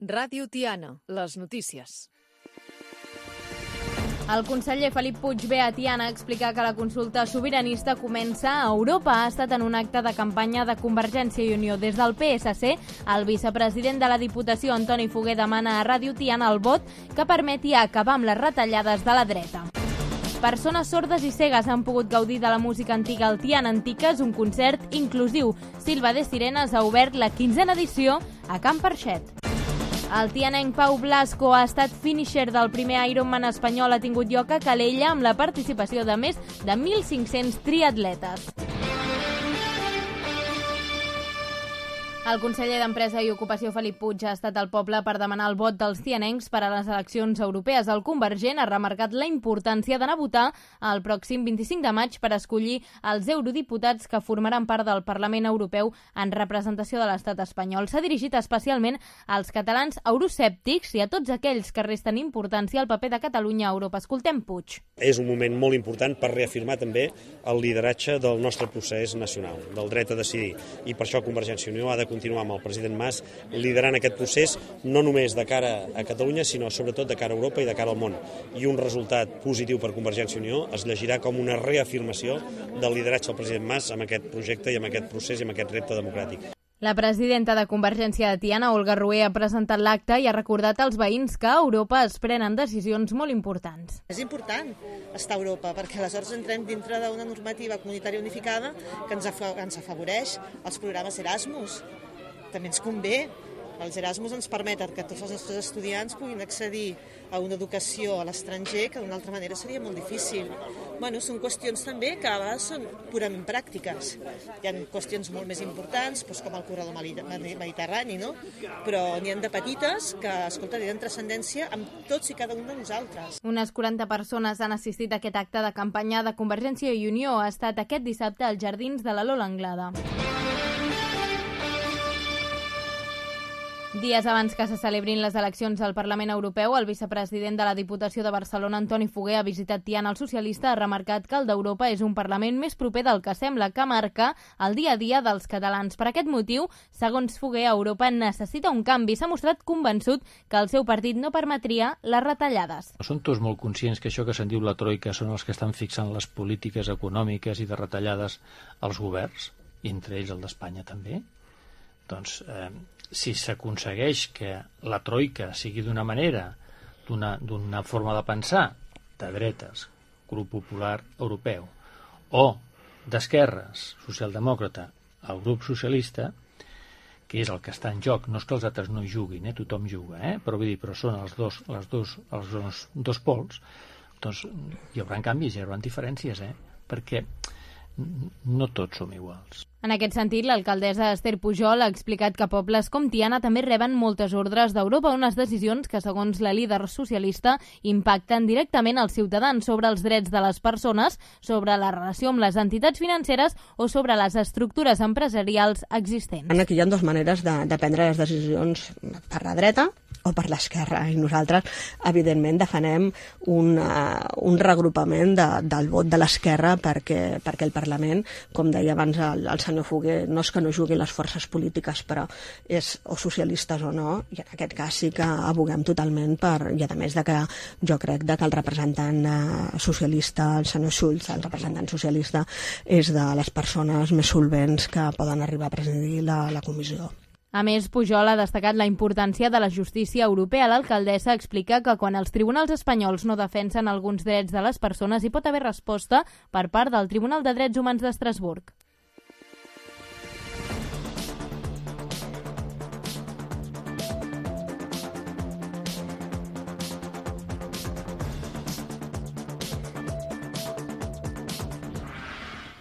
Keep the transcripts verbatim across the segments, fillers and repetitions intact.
Ràdio Tiana, les notícies. El conseller Felip Puig ve a Tiana a explicar que la consulta sobiranista comença a Europa. Ha estat en un acte de campanya de Convergència i Unió. Des del P S C, el vicepresident de la Diputació, Antoni Foguer, demana a Ràdio Tiana el vot que permeti acabar amb les retallades de la dreta. Persones sordes i cegues han pogut gaudir de la música antiga al Tiana Antiques, un concert inclusiu. Silva de Sirenes ha obert la quinzena edició a Can Parxet. El tianenc Pau Blasco ha estat finisher del primer Ironman espanyol. Ha tingut lloc a Calella amb la participació de més de mil cinc-cents triatletes. El conseller d'Empresa i Ocupació, Felip Puig, ha estat al poble per demanar el vot dels tianencs per a les eleccions europees. El Convergent ha remarcat la importància d'anar a votar el pròxim vint-i-cinc de maig per escollir els eurodiputats que formaran part del Parlament Europeu en representació de l'estat espanyol. S'ha dirigit especialment als catalans euroscèptics i a tots aquells que resten importància al paper de Catalunya a Europa. Escoltem Puig. És un moment molt important per reafirmar també el lideratge del nostre procés nacional, del dret a decidir. I per això Convergència i Unió ha de continuar amb el president Mas liderant aquest procés, no només de cara a Catalunya, sinó sobretot de cara a Europa i de cara al món. I un resultat positiu per Convergència i Unió es llegirà com una reafirmació del lideratge del president Mas amb aquest projecte i amb aquest procés i amb aquest repte democràtic. La presidenta de Convergència de Tiana, Olga Rué, ha presentat l'acte i ha recordat als veïns que a Europa es prenen decisions molt importants. És important estar a Europa perquè aleshores entrem dintre d'una normativa comunitària unificada que ens, ens afavoreix els programes Erasmus. També ens convé. Els Erasmus ens permeten que tots els nostres estudiants puguin accedir a una educació a l'estranger que d'una altra manera seria molt difícil. Bueno, són qüestions també que a vegades són purament pràctiques. Hi ha qüestions molt més importants, doncs com el corredor mediterrani, no? Però n'hi ha de petites que, escolta, tenen transcendència amb tots i cada un de nosaltres. Unes quaranta persones han assistit a aquest acte de campanya de Convergència i Unió. Ha estat aquest dissabte als jardins de la Lola Anglada. Dies abans que se celebrin les eleccions al Parlament Europeu, el vicepresident de la Diputació de Barcelona, Antoni Foguer, ha visitat Tiana. El socialista ha remarcat que el d'Europa és un Parlament més proper del que sembla, que marca el dia a dia dels catalans. Per aquest motiu, segons Foguer, Europa necessita un canvi. S'ha mostrat convençut que el seu partit no permetria les retallades. Són tots molt conscients que això que se'n diu la troika són els que estan fixant les polítiques econòmiques i de retallades als governs, i entre ells el d'Espanya també. Doncs, eh, si s'aconsegueix que la troika sigui d'una manera, d'una d'una forma de pensar, de dretes, grup popular europeu, o d'esquerres, socialdemòcrata, el grup socialista, que és el que està en joc, no és que els altres no juguin, eh? Tothom juga, eh? però vull dir, però són els dos, les dos, els dos, dos pols, doncs hi haurà canvis, hi haurà diferències, eh? perquè no tots som iguals. En aquest sentit, l'alcaldessa Esther Pujol ha explicat que pobles com Tiana també reben moltes ordres d'Europa, unes decisions que, segons la líder socialista, impacten directament als ciutadans sobre els drets de les persones, sobre la relació amb les entitats financeres o sobre les estructures empresarials existents. Aquí hi ha dues maneres de, de prendre les decisions, per la dreta o per l'esquerra, i nosaltres, evidentment, defenem un, uh, un regrupament de, del vot de l'esquerra perquè, perquè el Parlament, com deia abans el, el senyor Foguer, no és que no juguin les forces polítiques, però és o socialistes o no, i en aquest cas sí que aboguem totalment per, i a més de que jo crec de que el representant uh, socialista, el senyor Schulz, el representant socialista, és de les persones més solvents que poden arribar a presidir la, la comissió. A més, Pujol ha destacat la importància de la justícia europea. L'alcaldessa explica que quan els tribunals espanyols no defensen alguns drets de les persones hi pot haver resposta per part del Tribunal de Drets Humans d'Estrasburg.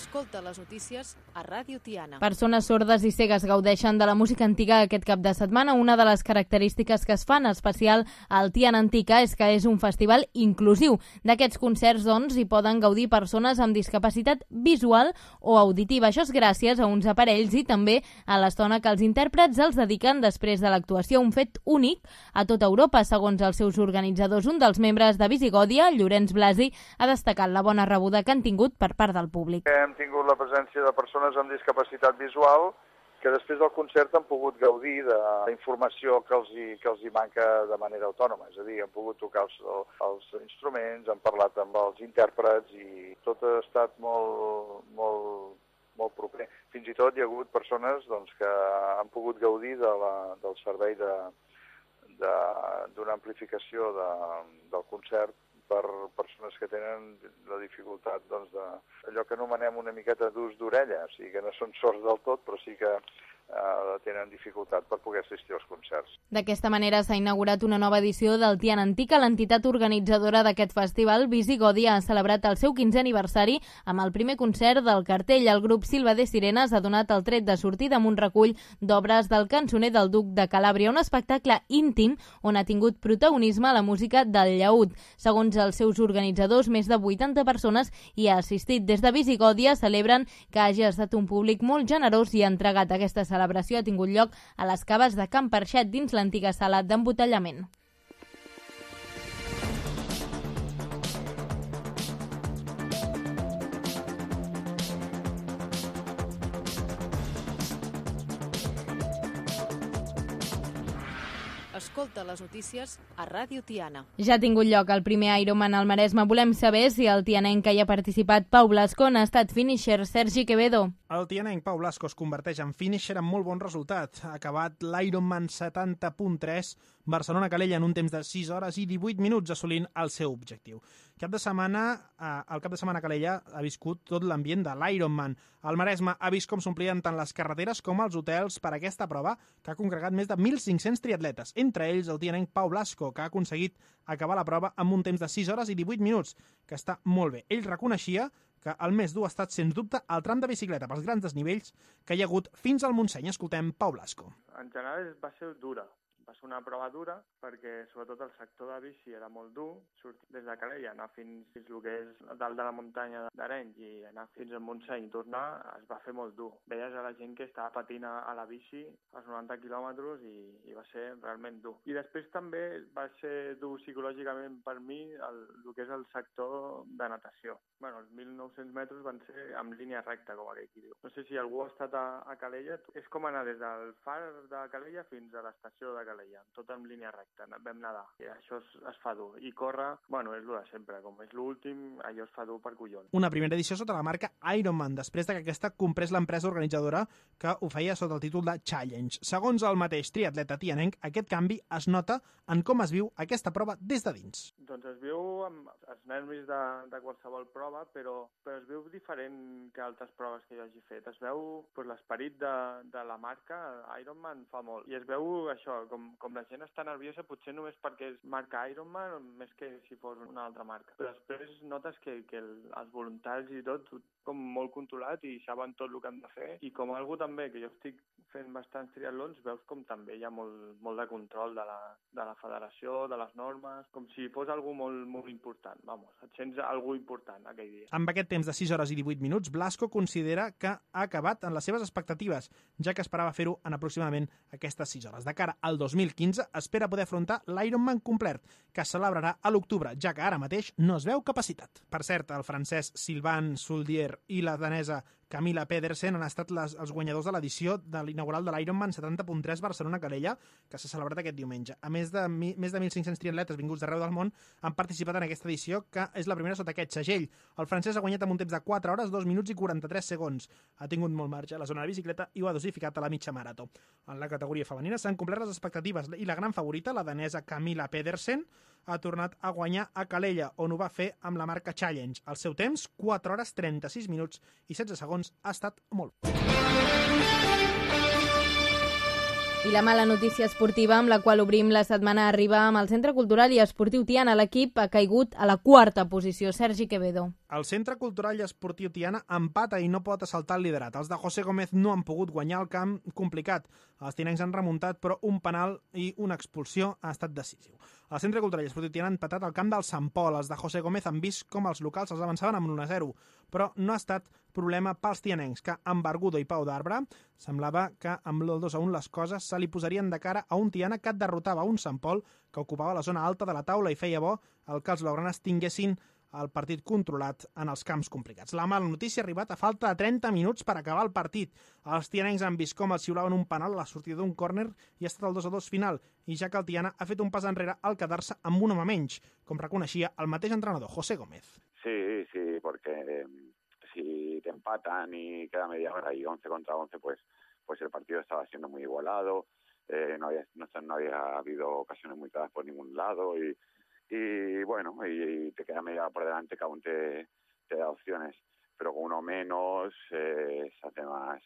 Escolta les notícies a Ràdio Tiana. Persones sordes i cegues gaudeixen de la música antiga aquest cap de setmana. Una de les característiques que es fan especial al Tiana Antica és que és un festival inclusiu. D'aquests concerts, doncs, hi poden gaudir persones amb discapacitat visual o auditiva. Això és gràcies a uns aparells i també a l'estona que els intèrprets els dediquen després de l'actuació. Un fet únic a tota Europa, segons els seus organitzadors. Un dels membres de Visigòdia, Llorenç Blasi, ha destacat la bona rebuda que han tingut per part del públic. Hem tingut la presència de persones amb discapacitat visual que després del concert han pogut gaudir de la informació que els, hi, que els hi manca de manera autònoma. És a dir, han pogut tocar els, els instruments, han parlat amb els intèrprets i tot ha estat molt, molt, molt proper. Fins i tot hi ha hagut persones doncs, que han pogut gaudir de la, del servei de, de, d'una amplificació de, del concert per persones que tenen la dificultat doncs, de allò que anomenem una miqueta d'ús d'orella, o sigui que no són sords del tot, però sí que eh, tenen dificultat per poder assistir als concerts. D'aquesta manera s'ha inaugurat una nova edició del Tiana Antica. L'entitat organitzadora d'aquest festival, Visigodi, ha celebrat el seu quinzè aniversari amb el primer concert del cartell. El grup Silva de Sirenes ha donat el tret de sortida amb un recull d'obres del cançoner del Duc de Calàbria, un espectacle íntim on ha tingut protagonisme la música del llaüt. Segons els seus organitzadors, més de vuitanta persones hi ha assistit. Des de Visigòdia celebren que hagi estat un públic molt generós i entregat. Aquesta celebració ha tingut lloc a les caves de Can Perxet, dins l'antiga sala d'embotellament. Escolta les notícies a Ràdio Tiana. Ja ha tingut lloc el primer Ironman al Maresme. Volem saber si el tianenc que hi ha participat, Pau Blasco, n'ha estat finisher. Sergi Quevedo. El tianenc Pau Blasco es converteix en finisher amb molt bon resultat. Ha acabat l'Ironman setanta punt tres Barcelona-Calella en un temps de sis hores i divuit minuts, assolint el seu objectiu. Cap de setmana, eh, el cap de setmana a Calella ha viscut tot l'ambient de l'Ironman. El Maresme ha vist com s'omplien tant les carreteres com els hotels per aquesta prova, que ha congregat més de mil cinc-cents triatletes, entre ells el tianenc Pau Blasco, que ha aconseguit acabar la prova amb un temps de sis hores i divuit minuts, que està molt bé. Ell reconeixia que el més dur ha estat, sens dubte, el tram de bicicleta pels grans desnivells que hi ha hagut fins al Montseny. Escoltem Pau Blasco. En general va ser dura. Va ser una prova dura perquè sobretot el sector de bici era molt dur, sortir des de Calella, anar fins, fins el que és dalt de la muntanya d'Arenys i anar fins al Montseny i tornar es va fer molt dur. Veies a la gent que estava patint a la bici als noranta quilòmetres i, i va ser realment dur. I després també va ser dur psicològicament per mi el, el que és el sector de natació. Bueno, els mil nou-cents metres van ser en línia recta, com aquell qui diu. No sé si algú ha estat a, a Calella, és com anar des del far de Calella fins a l'estació de Calella. Tot en línia recta, vam nedar. I això es, es fa dur. I córrer, bueno, és el de sempre. Com és l'últim, allò es fa dur per collons. Una primera edició sota la marca Ironman, després de que aquesta comprés l'empresa organitzadora que ho feia sota el títol de Challenge. Segons el mateix triatleta tianenc, aquest canvi es nota en com es viu aquesta prova des de dins. Doncs es viu amb els nervis de, de qualsevol prova, però, però es viu diferent que altres proves que jo hagi fet. Es veu pues, l'esperit de, de la marca, Ironman fa molt. I es veu això, com com la gent està nerviosa, potser només perquè és marca Ironman, més que si fos una altra marca. Però després notes que, que el, els voluntaris i tot, com molt controlat i saben tot el que han de fer. I com algú també, que jo estic fent bastants triatlons, veus com també hi ha molt, molt de control de la, de la federació, de les normes, com si fos algú molt, molt important. Vamos, et sents algú important aquell dia. Amb aquest temps de sis hores i divuit minuts, Blasco considera que ha acabat en les seves expectatives, ja que esperava fer-ho en aproximadament aquestes sis hores. De cara al dos mil quinze espera poder afrontar l'Ironman complet, que es celebrarà a l'octubre, ja que ara mateix no es veu capacitat. Per cert, el francès Sylvain Soldier i la danesa Camilla Pedersen han estat les, els guanyadors de l'edició de l'inaugural de l'Ironman setanta punt tres Barcelona-Calella, que s'ha celebrat aquest diumenge. A més de, mi, més de mil cinc-cents triatletes vinguts d'arreu del món han participat en aquesta edició, que és la primera sota aquest segell. El francès ha guanyat amb un temps de quatre hores, dos minuts i quaranta-tres segons. Ha tingut molt marge a la zona de bicicleta i ho ha dosificat a la mitja marató. En la categoria femenina s'han complert les expectatives i la gran favorita, la danesa Camilla Pedersen, ha tornat a guanyar a Calella, on ho va fer amb la marca Challenge. El seu temps, quatre hores, trenta-sis minuts i setze segons, ha estat molt. I la mala notícia esportiva amb la qual obrim la setmana arriba amb el Centre Cultural i Esportiu Tiana. L'equip ha caigut a la quarta posició. Sergi Quevedo. El Centre Cultural i Esportiu Tiana empata i no pot assaltar el liderat. Els de José Gómez no han pogut guanyar el camp complicat. Els tinencs han remuntat, però un penal i una expulsió ha estat decisiu. El Centre Cultural i Esportiu Tiana han empatat al camp del Sant Pol. Els de José Gómez han vist com els locals els avançaven amb un a zero, però no ha estat problema pels tianencs, que amb Bargudo i Pau d'Arbre semblava que amb el dos a un les coses se li posarien de cara a un Tiana que derrotava un Sant Pol que ocupava la zona alta de la taula i feia bo el que els blaugranes tinguessin el partit controlat en els camps complicats. La mala notícia ha arribat a falta de trenta minuts per acabar el partit. Els tianencs han vist com els xiulaven un penal a la sortida d'un córner i ha estat el dos a dos final, i ja que el Tiana ha fet un pas enrere al quedar-se amb un home menys, com reconeixia el mateix entrenador, José Gómez. Sí, sí, porque eh, si te empatan y queda media hora y once contra once, pues, pues el partido estaba siendo muy igualado. Eh, no, había, no, no había habido ocasiones muy claras por ningún lado y, y bueno, y, y te queda media hora por delante que aún te, te da opciones, pero con uno menos eh, se hace más,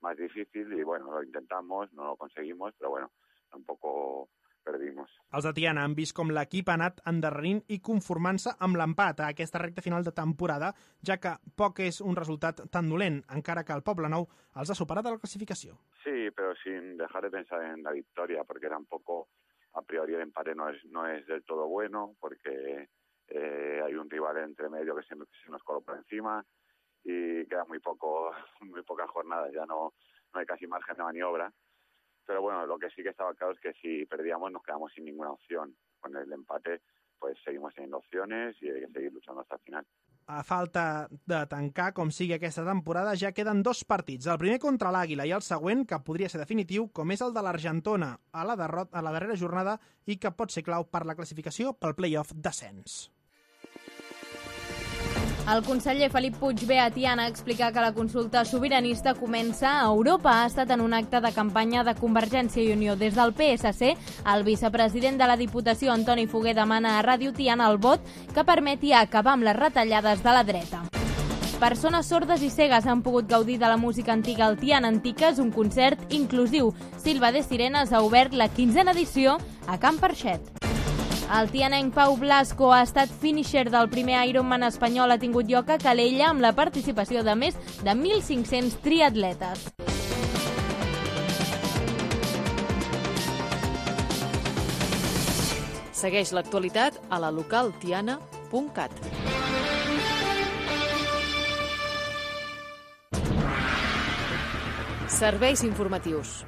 más difícil y bueno, lo intentamos, no lo conseguimos, pero bueno, tampoco perdimos. Els de Tiana han vist com l'equip ha anat endarrerint i conformant-se amb l'empat a aquesta recta final de temporada, ja que poc és un resultat tan dolent, encara que el Poblenou els ha superat a la clasificació. Sí, pero sin dejar de pensar en la victoria, porque tampoco a priori el empate no es, no es del todo bueno, porque eh, hay un rival entre medio que se, se nos coló por encima y queda muy poco, muy pocas jornadas, ya no, no hay casi margen de maniobra. Pero bueno, lo que sí que estaba claro es que si perdíamos nos quedamos sin ninguna opción. Con el empate pues seguimos teniendo opciones y hay que seguir luchando hasta el final. A falta de tancar com sigui aquesta temporada, ja queden dos partits. El primer contra l'Àguila i el següent, que podria ser definitiu, com és el de l'Argentona a la, derrota, a la darrera jornada i que pot ser clau per la classificació pel play-off d'ascens. El conseller Felip Puigvé a Tiana explica que la consulta sobiranista comença a Europa. Ha estat en un acte de campanya de Convergència i Unió. Des del P S C, el vicepresident de la Diputació, Antoni Foguer, demana a Ràdio Tiana el vot que permeti acabar amb les retallades de la dreta. Persones sordes i cegues han pogut gaudir de la música antiga al Tiana Antiques, un concert inclusiu. Silva de Sirenes ha obert la quinzena edició a Can Parxet. El tianenc Pau Blasco ha estat finisher del primer Ironman espanyol. Ha tingut lloc a Calella amb la participació de més de mil cinc-cents triatletes. Segueix l'actualitat a la local tiana punt cat. Serveis informatius.